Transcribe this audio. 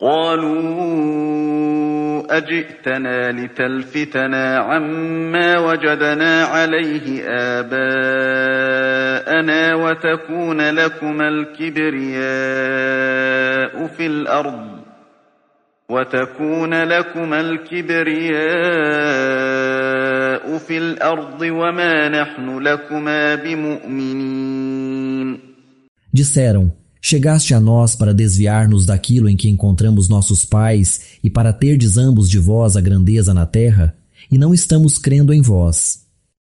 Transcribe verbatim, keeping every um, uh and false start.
قالوا أجئتنا لتلفتنا عما وجدنا عليه آباءنا وتكون لكما الكبرياء في الأرض وتكون لكما الكبرياء في الأرض وما نحن لكما بمؤمنين. Disseram: chegaste a nós para desviar-nos daquilo em que encontramos nossos pais e para terdes ambos de vós a grandeza na terra, e não estamos crendo em vós.